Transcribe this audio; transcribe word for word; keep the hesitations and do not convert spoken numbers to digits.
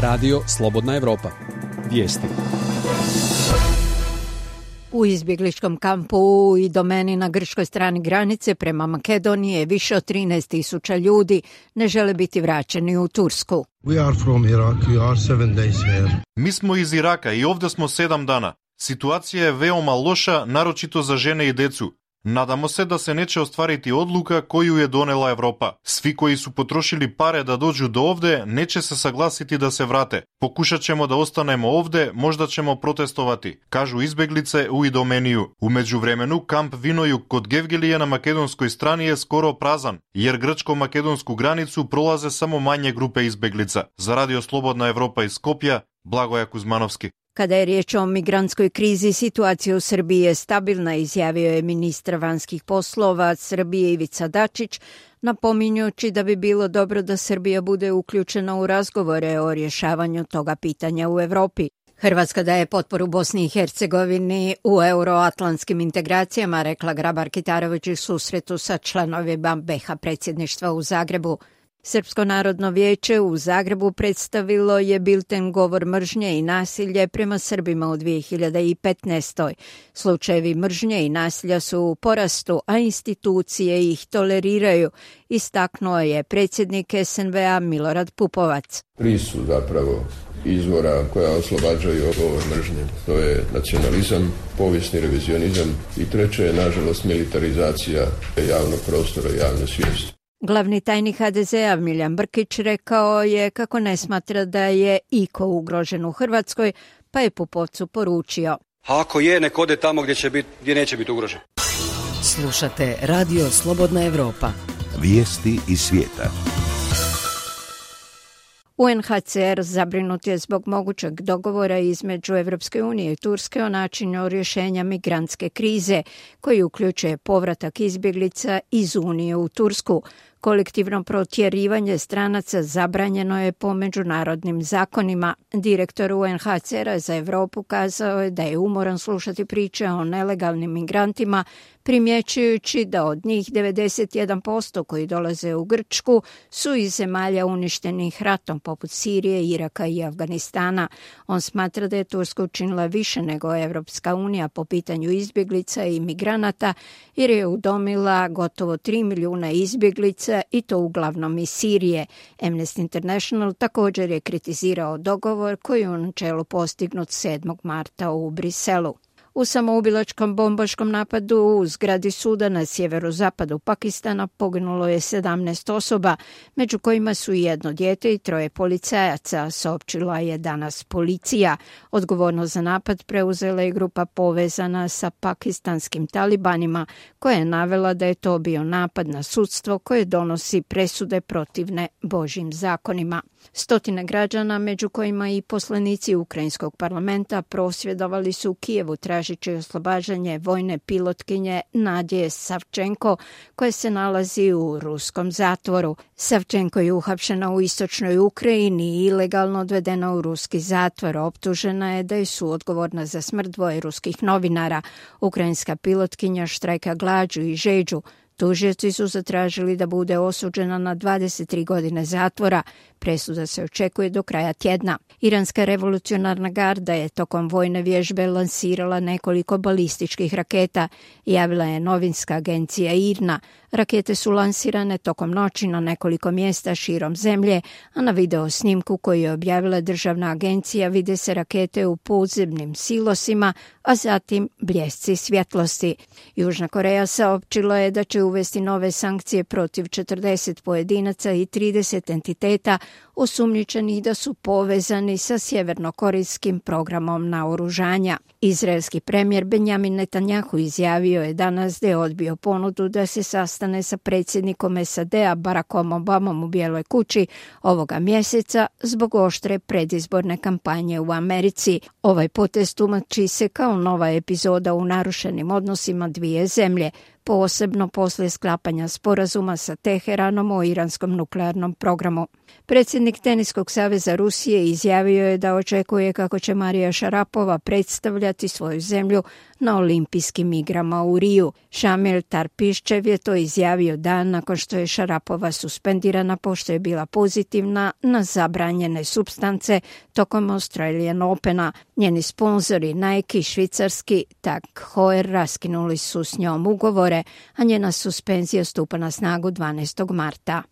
Radio Slobodna Evropa. Vijesti. U izbjegličkom kampu i domeni na grčkoj strani granice prema Makedoniji više od trinaest tisuća ljudi ne žele biti vraćeni u Tursku. We are from Iraq. We are seven days here. Mi smo iz Iraka i ovdje smo sedam dana. Situacija je veoma loša, naročito za žene i decu. Nadamo se da se neće ostvariti odluka koju je donela Evropa. Svi koji su potrošili pare da dođu do ovde neće se saglasiti da se vrate. Pokušat ćemo da ostanemo ovde, možda ćemo protestovati, kažu izbeglice u Idomeniju. U međuvremenu kamp Vinojug kod Gevgelije na makedonskoj strani je skoro prazan, jer grčko-makedonsku granicu prolaze samo manje grupe izbeglica. Za Radio Slobodna Evropa iz Skopja, Blagoja Kuzmanovski. Kada je riječ o migrantskoj krizi, situacija u Srbiji je stabilna, izjavio je ministar vanjskih poslova Srbije Ivica Dačić, napominjući da bi bilo dobro da Srbija bude uključena u razgovore o rješavanju toga pitanja u Evropi. Hrvatska daje potporu Bosni i Hercegovini u euroatlantskim integracijama, rekla Grabar-Kitarović u susretu sa članovima be ha predsjedništva u Zagrebu. Srpsko narodno vijeće u Zagrebu predstavilo je bilten Govor mržnje i nasilje prema Srbima u dvije hiljade petnaestoj. Slučajevi mržnje i nasilja su u porastu, a institucije ih toleriraju, istaknuo je predsjednik es en ve a Milorad Pupovac. Tri su zapravo izvora koja oslobađaju govor mržnje. To je nacionalizam, povijesni revizionizam i treće je, nažalost, militarizacija javnog prostora i javne svijesti. Glavni tajnik ha de ze a Miljan Brkić rekao je kako ne smatra da je iko ugrožen u Hrvatskoj, pa je Pupovcu poručio: a ako je, nek ode tamo gdje, će bit, gdje neće biti ugrožen. Slušate Radio Slobodna Evropa. Vijesti iz svijeta. u en ha ce er zabrinut je zbog mogućeg dogovora između Evropske unije i Turske o načinu rješenja migrantske krize, koji uključuje povratak izbjeglica iz Unije u Tursku. Kolektivno protjerivanje stranaca zabranjeno je po međunarodnim zakonima. Direktor u en ha ce era za Europu kazao je da je umoran slušati priče o nelegalnim migrantima, primjećujući da od njih devedeset jedan posto koji dolaze u Grčku su iz zemalja uništenih ratom poput Sirije, Iraka i Afganistana. On smatra da je Turska učinila više nego Evropska unija po pitanju izbjeglica i migranata, jer je udomila gotovo tri milijuna izbjeglica i to uglavnom iz Sirije. Amnesty International također je kritizirao dogovor koji je u načelu postignut sedmog marta u Briselu. U samoubilačkom bombaškom napadu u zgradi suda na sjeverozapadu Pakistana poginulo je sedamnaest osoba, među kojima su i jedno dijete i troje policajaca, saopćila je danas policija. Odgovornost za napad preuzela je grupa povezana sa pakistanskim talibanima, koja je navela da je to bio napad na sudstvo koje donosi presude protivne Božjim zakonima. Stotine građana, među kojima i poslanici ukrajinskog parlamenta, prosvjedovali su u Kijevu tražeći oslobađanje vojne pilotkinje Nadje Savčenko, koja se nalazi u ruskom zatvoru. Savčenko je uhapšena u istočnoj Ukrajini i ilegalno odvedena u ruski zatvor. Optužena je da je suodgovorna za smrt dvoje ruskih novinara. Ukrajinska pilotkinja štrajka glađu i žeđu. Tužioci su zatražili da bude osuđena na dvadeset tri godine zatvora. Presuda se očekuje do kraja tjedna. Iranska revolucionarna garda je tokom vojne vježbe lansirala nekoliko balističkih raketa, javila je novinska agencija I R N A. Rakete su lansirane tokom noći na nekoliko mjesta širom zemlje, a na video snimku koji je objavila državna agencija vide se rakete u podzemnim silosima, a zatim bljesci svjetlosti. Južna Koreja saopćila je da će uvesti nove sankcije protiv četrdeset pojedinaca i trideset entiteta osumnjičenih da su povezani sa sjevernokorejskim programom naoružanja. Izraelski premijer Benjamin Netanjahu izjavio je danas da je odbio ponudu da se sastane sa predsjednikom es a de a Barackom Obamom u Bijeloj kući ovoga mjeseca zbog oštre predizborne kampanje u Americi. Ovaj potez tumači se kao nova epizoda u narušenim odnosima dvije zemlje. posebno poslije sklapanja sporazuma sa Teheranom o iranskom nuklearnom programu. Predsjednik Teniskog saveza Rusije izjavio je da očekuje kako će Marija Šarapova predstavljati svoju zemlju na olimpijskim igrama u Riju. Šamil Tarpiščev je to izjavio dan nakon što je Šarapova suspendirana pošto je bila pozitivna na zabranjene supstance tokom Australian Opena. Njeni sponzori Nike i švicarski Tag Heuer raskinuli su s njom ugovore, a njena suspenzija stupa na snagu dvanaestog marta.